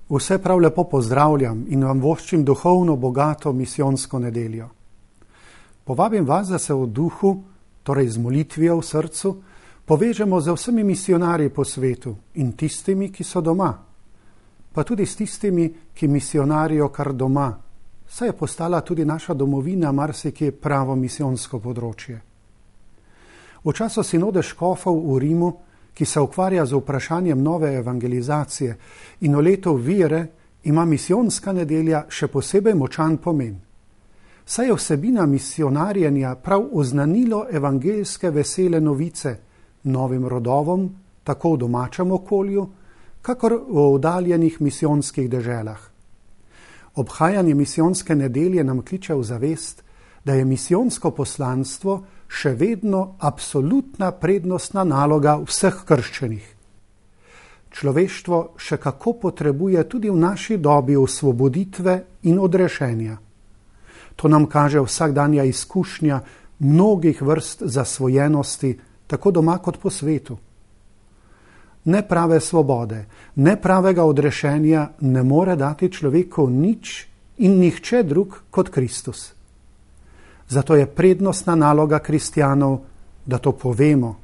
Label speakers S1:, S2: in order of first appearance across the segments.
S1: Vse prav lepo pozdravljam in vam voščim duhovno bogato misijonsko nedeljo. Povabim vas, da se v duhu, torej z molitvijo v srcu, povežemo z vsemi misionarji po svetu in tistimi, ki so doma, pa tudi s tistimi, ki misionarijo kar doma, saj je postala tudi naša domovina marsikje pravo misijonsko področje. V času sinode škofov v Rimu, ki se ukvarja z vprašanjem nove evangelizacije in v letu vere, ima misijonska nedelja še posebej močan pomen. Saj je vsebina misionarjenja prav oznanilo evangeljske vesele novice novim rodovom, tako v domačem okolju, kakor v oddaljenih misijonskih deželah. Obhajanje misijonske nedelje nam kliče v zavest, da je misijonsko poslanstvo še vedno absolutna prednostna naloga vseh krščenih. Človeštvo še kako potrebuje tudi v naši dobi osvoboditve in odrešenja. To nam kaže vsakdanja izkušnja mnogih vrst zasvojenosti, tako doma kot po svetu. Neprave svobode, nepravega odrešenja ne more dati človeku nič in nihče drug kot Kristus. Zato je prednostna naloga kristjanov, da to povemo,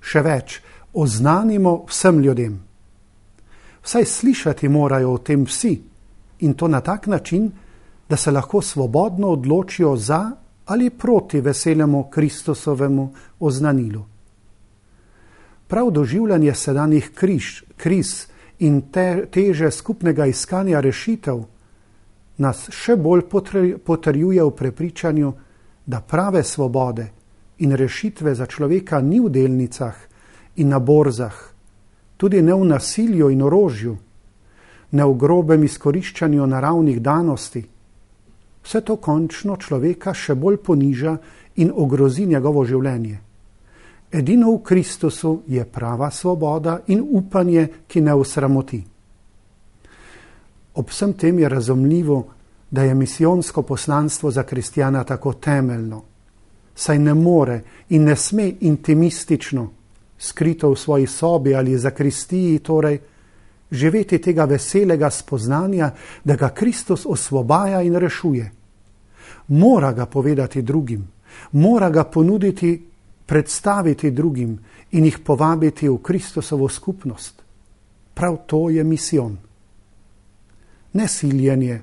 S1: še več, oznanimo vsem ljudem. Vsaj slišati morajo o tem vsi in to na tak način, da se lahko svobodno odločijo za ali proti veselemu Kristusovemu oznanilu. Prav doživljanje sedanjih kriz in teže skupnega iskanja rešitev nas še bolj potrjuje v prepričanju, da prave svobode in rešitve za človeka ni v delnicah in na borzah, tudi ne v nasilju in orožju, ne v grobem izkoriščanju naravnih danosti. Vse to končno človeka še bolj poniža in ogrozi njegovo življenje. Edino v Kristusu je prava svoboda in upanje, ki ne osramoti. Ob vsem tem je razumljivo, da je misijonsko poslanstvo za kristjana tako temeljno, saj ne more in ne sme intimistično, skrito v svoji sobi ali zakristiji, torej, živeti tega veselega spoznanja, da ga Kristus osvobaja in rešuje. Mora ga povedati drugim, mora ga ponuditi, predstaviti drugim in jih povabiti v Kristusovo skupnost. Prav to je misijon. Ne siljenje,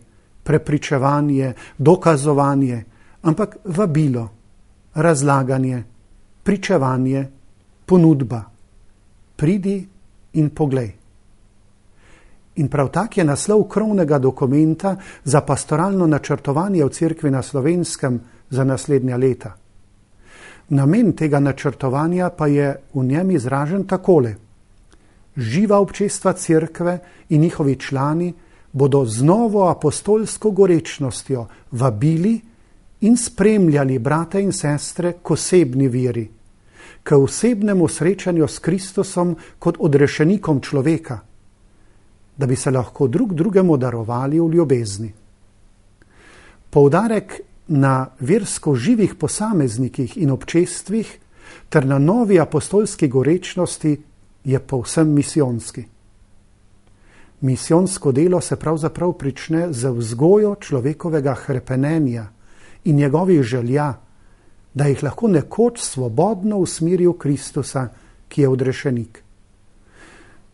S1: prepričevanje, dokazovanje, ampak vabilo, razlaganje, pričevanje, ponudba. Pridi in poglej. In prav tak je naslov krovnega dokumenta za pastoralno načrtovanje v Cerkvi na Slovenskem za naslednja leta. Namen tega načrtovanja pa je v njem izražen takole. Živa občestva Cerkve in njihovi člani bodo z novo apostolsko gorečnostjo vabili in spremljali brate in sestre k osebni veri, k osebnemu srečanju s Kristusom kot odrešenikom človeka, da bi se lahko drug drugemu darovali v ljubezni. Poudarek na versko živih posameznikih in občestvih ter na novi apostolski gorečnosti je povsem misijonski. Misijonsko delo se pravzaprav prične z vzgojo človekovega hrepenenja in njegovih želja, da jih lahko nekoč svobodno usmeri v Kristusa, ki je odrešenik.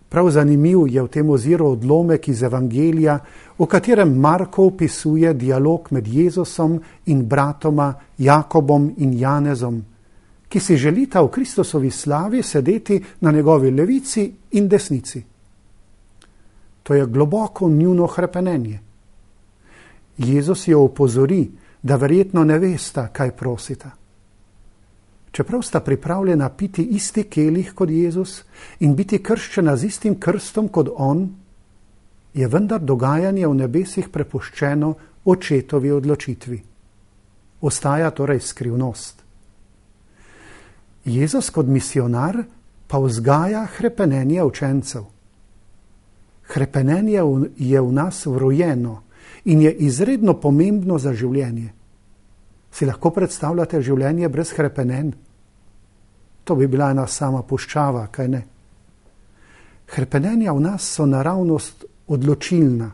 S1: Prav zanimiv je v tem oziru odlomek iz Evangelija, v katerem Marko opisuje dialog med Jezusom in bratoma Jakobom in Janezom, ki si želita v Kristusovi slavi sedeti na njegovi levici in desnici. To je globoko njuno hrepenenje. Jezus jo opozori, da verjetno ne vesta, kaj prosita. Čeprav sta pripravljena piti isti kelih kot Jezus in biti krščena z istim krstom kot on, je vendar dogajanje v nebesih prepuščeno očetovi odločitvi. Ostaja torej skrivnost. Jezus kot misionar pa vzgaja hrepenenje učencev. Hrepenenje je v nas vrojeno in je izredno pomembno za življenje. Si lahko predstavljate življenje brez hrepenenj? To bi bila ena sama puščava, kaj ne? Hrepenenja v nas so naravnost odločilna,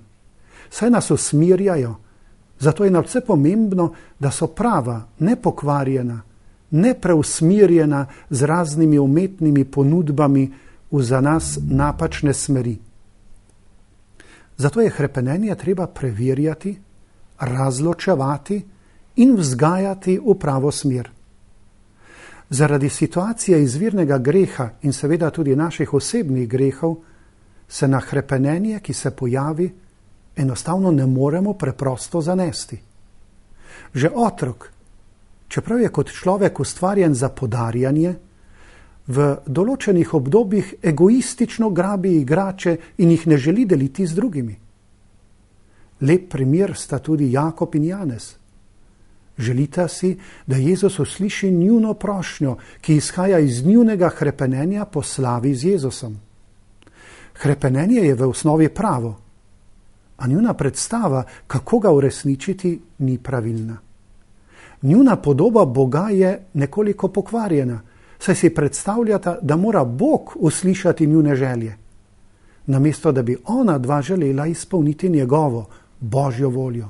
S1: saj nas usmirjajo, zato je nadvse pomembno, da so prava, nepokvarjena, nepreusmirjena z raznimi umetnimi ponudbami v za nas napačne smeri. Zato je hrepenenje treba preverjati, razločevati in vzgajati v pravo smer. Zaradi situacije izvirnega greha in seveda tudi naših osebnih grehov se na hrepenenje, ki se pojavi, enostavno ne moremo preprosto zanesti. Že otrok, čeprav je kot človek ustvarjen za podarjanje, v določenih obdobjih egoistično grabi igrače in jih ne želi deliti z drugimi. Lep primer sta tudi Jakob in Janez. Želita si, da Jezus usliši njuno prošnjo, ki izhaja iz njunega hrepenenja po slavi z Jezusom. Hrepenenje je v osnovi pravo, a njuna predstava, kako ga uresničiti, ni pravilna. Njuna podoba Boga je nekoliko pokvarjena, saj si predstavljata, da mora Bog uslišati njune želje, namesto da bi ona dva želela izpolniti njegovo, Božjo voljo.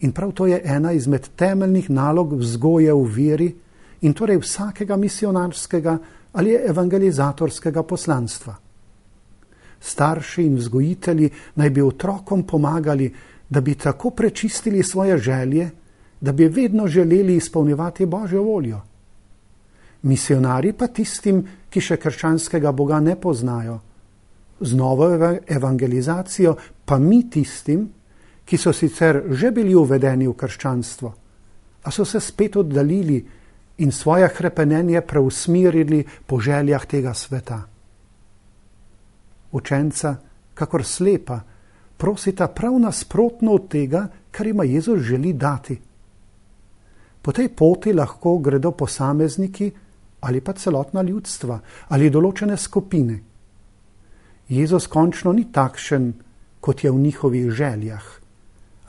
S1: In prav to je ena izmed temeljnih nalog vzgoje v veri in torej vsakega misionarskega ali evangelizatorskega poslanstva. Starši in vzgojitelji naj bi otrokom pomagali, da bi tako prečistili svoje želje, da bi vedno želeli izpolnjevati Božjo voljo. Misionari pa tistim, ki še krščanskega Boga ne poznajo. Z novo evangelizacijo pa mi tistim, ki so sicer že bili uvedeni v krščanstvo, a so se spet oddaljili in svoje hrepenenje preusmerili po željah tega sveta. Učenca, kakor slepa, prosita prav nasprotno od tega, kar ima Jezus želi dati. Po tej poti lahko gredo posamezniki ali pa celotna ljudstva ali določene skupine. Jezus končno ni takšen, kot je v njihovih željah,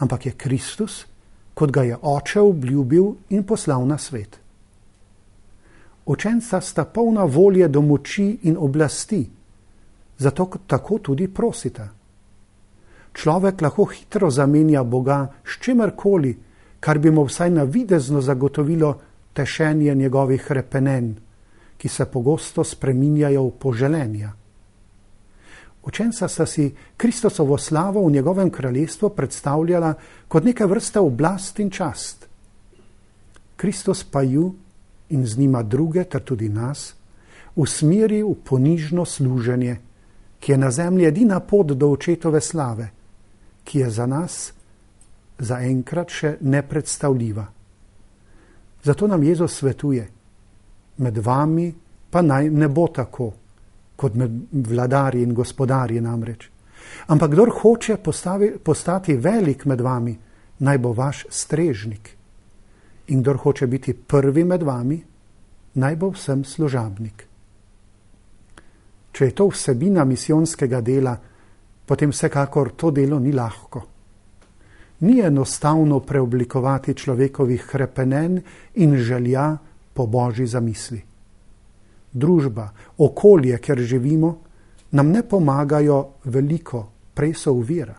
S1: ampak je Kristus, kot ga je Oče obljubil in poslal na svet. Učenca sta polna volje do moči in oblasti, zato tako tudi prosita. Človek lahko hitro zamenja Boga s čimerkoli, kar bi mu vsaj navidezno zagotovilo tešenje njegovih hrepenenj, ki se pogosto spreminjajo v poželenja. Učenca sta si Kristusovo slavo v njegovem kraljestvu predstavljala kot neke vrste oblast in čast. Kristus pa ju in z njima druge, ter tudi nas, usmeri v ponižno služenje, ki je na zemlji edina pot do očetove slave, ki je za nas zaenkrat še nepredstavljiva. Zato nam Jezus svetuje, med vami pa naj ne bo tako, kot med vladarji in gospodarji namreč. Ampak kdor hoče postati velik med vami, naj bo vaš strežnik. In kdor hoče biti prvi med vami, naj bo vsem služabnik. Če je to vsebina misijonskega dela, potem vsekakor to delo ni lahko. Ni enostavno preoblikovati človekovih hrepenenj in želja po Božji zamisli. Družba, okolje, kjer živimo, nam ne pomagajo veliko, prej so ovira.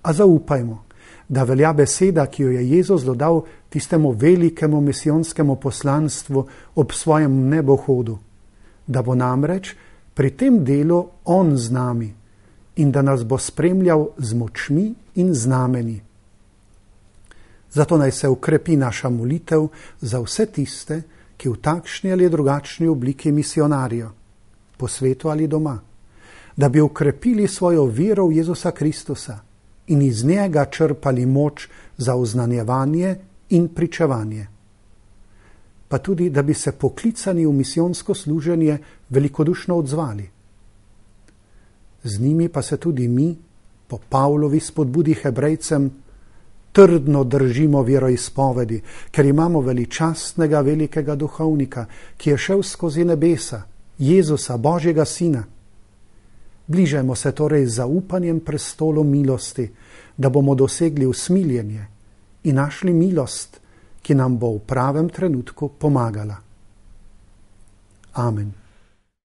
S1: A zaupajmo, da velja beseda, ki jo je Jezus dodal tistemu velikemu misijonskemu poslanstvu ob svojem nebohodu, da bo namreč pri tem delu on z nami in da nas bo spremljal z močmi in znameni. Zato naj se ukrepi naša molitev za vse tiste, ki v takšni ali drugačni obliki misionarijo, po svetu ali doma, da bi ukrepili svojo vero v Jezusa Kristusa in iz njega črpali moč za oznanjevanje in pričevanje. Pa tudi, da bi se poklicani v misijonsko služenje velikodušno odzvali. Z njimi pa se tudi mi, po Pavlovi spodbudi Hebrejcem, trdno držimo veroizpovedi, ker imamo veličastnega velikega duhovnika, ki je šel skozi nebesa, Jezusa, Božjega Sina. Bližajmo se torej z zaupanjem prestolu milosti, da bomo dosegli usmiljenje in našli milost, ki nam bo v pravem trenutku pomagala. Amen.